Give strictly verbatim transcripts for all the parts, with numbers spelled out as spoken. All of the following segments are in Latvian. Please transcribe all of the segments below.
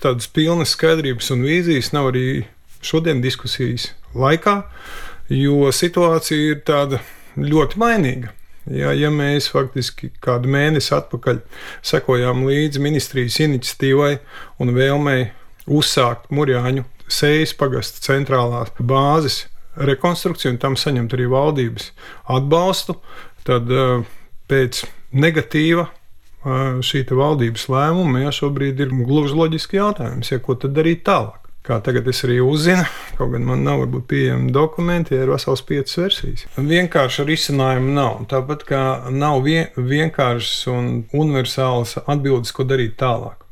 tādas pilnas skaidrības un vīzijas nav arī šodien diskusijas laikā, jo situācija ir tāda ļoti mainīga. Ja, ja mēs faktiski kādu mēnesi atpakaļ sekojām līdzi ministrijas iniciatīvai un vēlmei uzsākt Murjāņu Sējas pagasta centrālās bāzes rekonstrukciju un tam saņemt arī valdības atbalstu, tad pēc negatīva šī valdības lēmuma ja, šobrīd ir gluži loģiski jautājums, ja, ko tad darīt tālāk. Kā tagad es arī uzzinu, kaut gan man nav varbūt pieejami dokumenti, ja ir vesels piecas versijas. Vienkārši risinājumu nav. Tāpat kā nav vien, vienkāršas un universālas atbildes, ko darīt tālāk.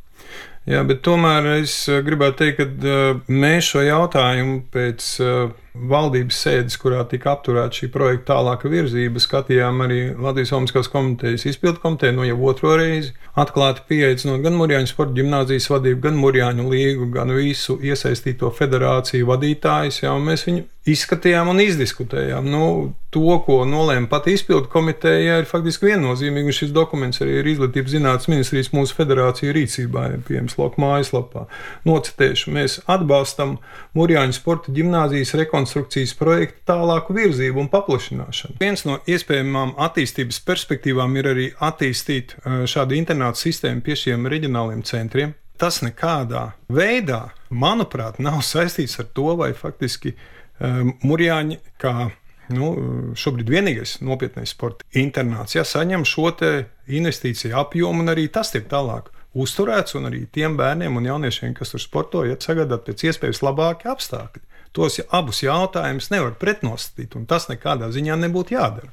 Jā, bet tomēr es gribētu teikt, ka mēs šo jautājumu pēc valdības sēdes, kurā tika apturēta šī projekta tālāka virzība, skatījām arī Latvijas Olimpiskās komitejas izpildu komiteju, no jau otro reizi. Atklāti pieaicinot gan Murjāņu sporta ģimnāzijas vadību, gan Murjāņu līgu, gan visu iesaistīto federāciju vadītājus, jā, un mēs viņu izskatījām un izdiskutējām. Nu, to, ko nolēma pati izpildu komiteja, ir faktiski viennozīmīgi, un šis dokuments arī ir Izglītības zinātnes ministrijas mūsu federāciju rīcībā, ir pieejams Loka mājaslapā. Nocitēšu, mēs atbalstam Murjāņu sporta ģimnāzijas rekonstrukcijas projektu tālāku virzību un paplašināšanu. Viens no iespējamām attīstības perspektīvām ir arī attīstīt šādu internātu sistēmu pie šiem reģionāliem centriem. Tas nekādā veidā, manuprāt, nav saistīts ar to, vai faktiski Murjāņi, kā nu, šobrīd vienīgais nopietnais sporta internāts, ja, saņem šo te investīciju apjomu, un arī tas tiek tālāk uzturēts, un arī tiem bērniem un jauniešiem, kas tur sporto, ja, sagādāt pēc iespējas labāki apstākļi. Tos ja, abus jautājumus nevar pretnostatīt, un tas nekādā ziņā nebūtu jādara.